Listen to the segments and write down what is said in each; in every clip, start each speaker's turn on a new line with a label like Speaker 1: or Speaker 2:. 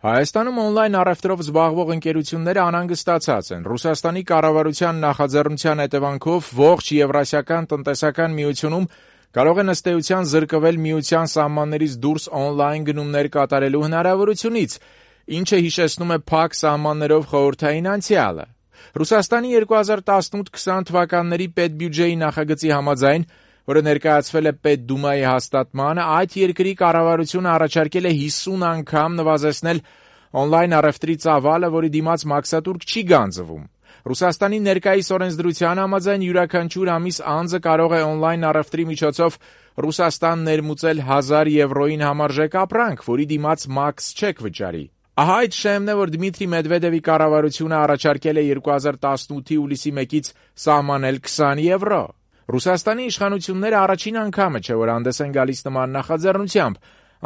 Speaker 1: Հայաստանում օնլայն առևտրով զբաղվող ընկերությունները անհանգստացած են։ Ռուսաստանի կառավարության նախաձեռնության հետևանքով ողջ Եվրասիական տնտեսական միությունում կարող են ըստ էության զրկվել միության սահմաններից դուրս օնլայն գնումներ կատարելու հնարավորությունից, ինչը հիշեցնում է փակ սահմաններով խորհրդային անցյալը։ Ռուսաստանի 2018-20 թվականների պետբյուջեի նախագծի համաձայն, որը ներկայացվել է Պետդումայի հաստատմանը, այդ երկրի կառավարությունը առաջարկել է 50 անգամ նվազեցնել օնլայն առևտրի ծավալը, որի դիմաց մաքսատուրք չի գանձվում։ Ռուսաստանի ներկայիս օրենսդրության համաձայն յուրաքանչյուր ամիս անձը կարող է օնլայն առևտրի միջոցով Ռուսաստան ներմուծել 1000 եվրոյին համարժեք ապրանք, որի դիմաց մաքս չեք վճարի։ Ահա այդ շեմն է, որ Դմիտրի Մեդվեդևի կառավարությունը առաջարկել է 2018-ի հուլիսի 1-ից սահմանել 20 եվրո։ Ռուսաստանի իշխանությունները առաջին անգամը չէ, որ հանդես են գալիս նման նախաձեռնությամբ։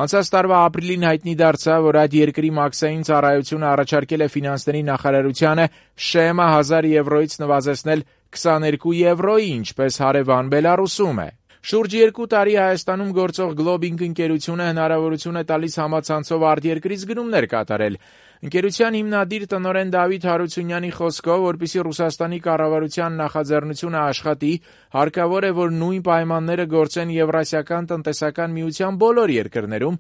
Speaker 1: Անցած տարվա ապրիլին հայտնի դարձավ, որ այդ երկրի մաքսային ծառայությունը առաջարկել է ֆինանսների նախարարությանը շեմը 1000 եվրոյից նվազեցնել 22 եվրոյի, ինչպես հարևան Բելառուսում է։ Շուրջ 2 տարի Հայաստանում գործող Globing ընկերությունը հնարավորություն է տալիս համացանցով արտերկրից գնումներ կատարել։ Ընկերության հիմնադիր տնօրեն Դավիթ Հարությունյանի խոսքով, որպեսզի Ռուսաստանի կառավարության նախաձեռնությունը աշխատի, հարկավոր է, որ նույն պայմանները գործեն Եվրասիական տնտեսական միության բոլոր երկրներում,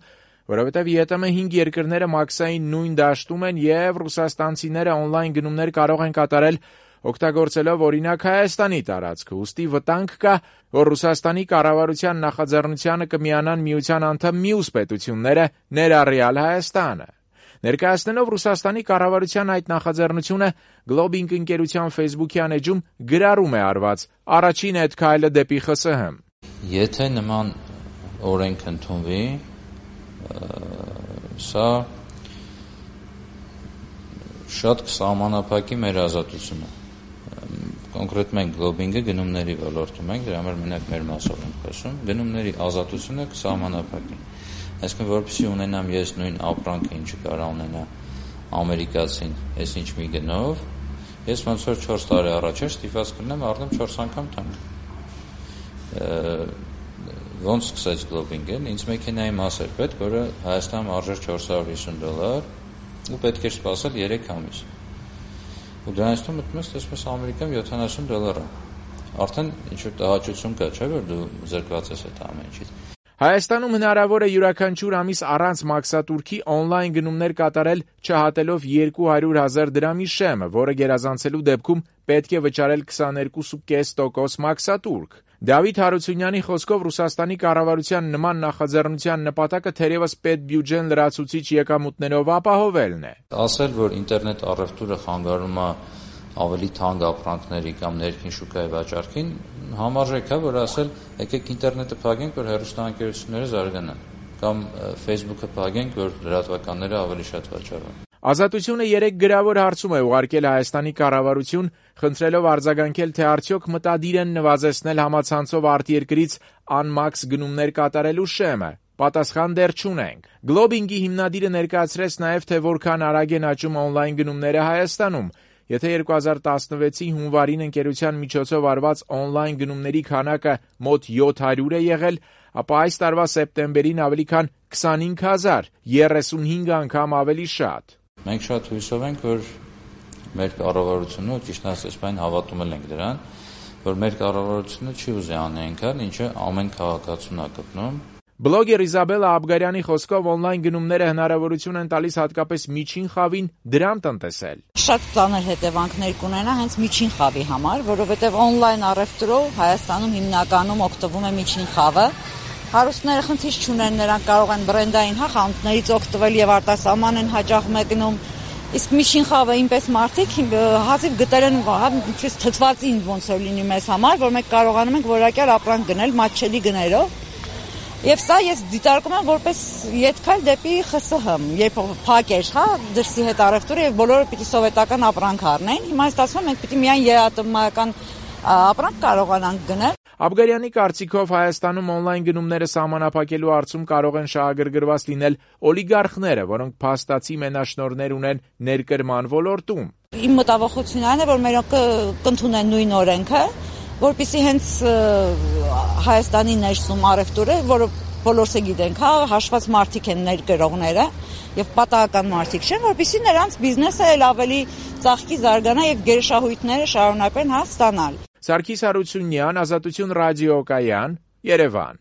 Speaker 1: որովհետև ԵՏՄ 5 երկրները մաքսային նույն դաշտում են և ռուսաստանցիները օնլայն գնումներ կարող են կատարել օգտագործելով օրինակ Հայաստանի տարածքը, ուստի վտանգ կա, որ Ռուսաստանի կառավարության նախաձեռնությանը կմիանան միության անդամ մյուս պետությունները, ներառյալ Հայաստանը։ Ներկայացնելով Ռուսաստանի կառավարության այդ նախաձեռնությունը, Globing ընկերության Facebook-յան էջում գրառում է արված առաջին այդ քայլը դեպի ԽՍՀՄ։
Speaker 2: Եթե նման օրենք ընդունվի, սա շատ կսահմանափակի մեր ազատությունը։ Կոնկրետ մենք Globing-ը գնումների ոլորտում ենք, դրա համար մենակ մեր մասով ենք խոսում, գնումների ազատությունը կսահմանափակի։ Այսինքն, որպեսզի ունենամ ես նույն ապրանքը, ինչը կարող ունենա ամերիկացին, ես ինչ մի գնով, ես ոնց որ 4 տարի առաջ ստիպված կլինեմ առնեմ 4 անգամ թանկ։ Ոնց սկսեց Globing-ը, ինձ մեքենայի մաս էր պետք, որը Հայաստանում արժեր $450 ու պետք էր սպասել 3 ամիս։ Ու դրանցում մտնում ես, տեսնում ես Ամերիկայում $70 Արդեն ինչ-որ տհաճություն կա, չէ՞ որ դու զրկված ես այդ ամեն ինչից։
Speaker 1: Հայաստանում հնարավոր է յուրաքանչյուր ամիս առանց մաքսատուրքի օնլայն գնումներ կատարել չհատելով 200,000 դրամի շեմը, որը գերազանցելու դեպքում պետք է վճարել 22.5% մաքսատուրք։ Դավիթ Հարությունյանի խոսքով Ռուսաստանի կառավարության նման նախաձեռնության նպատակը թերևս պետբյուջեն լրացուցիչ եկամուտներով ապահովելն է։
Speaker 2: Ասել, որ ինտերնետ առևտուրը խանգարում է ավելի թանկ ապրանքների կամ ներքին շուկայի վաճառքին, համարժեք է, որ ասել, եկեք ինտերնետը փակենք, որ հեռուստաընկերությունները զարգանան, կամ Facebook-ը փակենք, որ լրատվականները ավելի շատ վաճառեն։
Speaker 1: Ազատությունը 3 գրավոր հարցում է ուղարկել Հայաստանի կառավարություն, խնդրելով արձագանքել, թե արդյոք մտադիր են նվազեցնել համացանցով արտերկրից անմաքս գնումներ կատարելու շեմը։ Պատասխան դեռ չունենք։ Globing-ի հիմնադիրը ներկայացրեց նաև, թե որքան արագ են աճում օնլայն գնումները Հայաստանում։ Եթե 2016-ի հունվարին ընկերության միջոցով արված օնլայն գնումների քանակը մոտ 700 է եղել, ապա այս տարվա սեպտեմբերին ավելի քան 25,000, 35 անգամ ավելի շատ։
Speaker 2: Մենք շատ հույսով ենք, որ մեր կառավարությունը, ճիշտ ասած, այն հավատում ենք դրան, որ մեր կառավարությունը չի ուզի անել այնքան, ինչը ամեն քաղաքացուն է գտնում։
Speaker 1: Բլոգեր Իզաբելա Աբգարյանի խոսքով օնլայն գնումները հնարավորություն են տալիս հատկապես միջին խավին դրամ տնտեսել։
Speaker 3: Շատ ծանր հետևանքներ կունենա հենց միջին խավի համար, որովհետև օնլայն առևտրով Հայաստանում հիմնականում օգտվում է միջին խավը։ Հարուստները խնդիր չունեն, նրանք կարող են բրենդային խանութներից օգտվել եւ արտասահման են հաճախ մեկնում։ Իսկ միջին խավը ինպես մարդիկ հազիվ գտել են, ինչպես թթվածին ոնց որ լինի մեզ համար, որ մենք կարողանում ենք որակյալ ապրանք գնել մատչելի գներով։ Եվ սա ես դիտարկում եմ որպես ետքայլ դեպի ԽՍՀՄ, երբ փակեր, դրսի հետ առևտուրը եւ բոլորը պիտի սովետական ապրանք առնեն։ Հիմա ստացվում է մենք պիտի միայն երաթմական ապրանք կարողանանք գնել։
Speaker 1: Աբգարյանի կարծիքով Հայաստանում օնլայն գնումները սահմանափակելու հարցում կարող են շահագրգռված լինել օլիգարխները, որոնք փաստացի մենաշնորհներ ունեն ներկրման ոլորտում։
Speaker 3: Իմ մտավախությունն այն է, որ մերոնք կընդունեն նույն օրենքը, որպեսզի հենց Հայաստանի ներսում առևտուրը, որը բոլորս գիտենք, հաշված մարդիկ են ներկրողները, եւ պատահական մարդիկ չեն, որպեսզի նրանց բիզնեսը էլ ավելի ծաղկի, զարգանա եւ գերշահույթները շարունակեն ստանալ։
Speaker 1: Սարգիս Հարությունյան, Ազատություն ռադիոկայան, Երևան։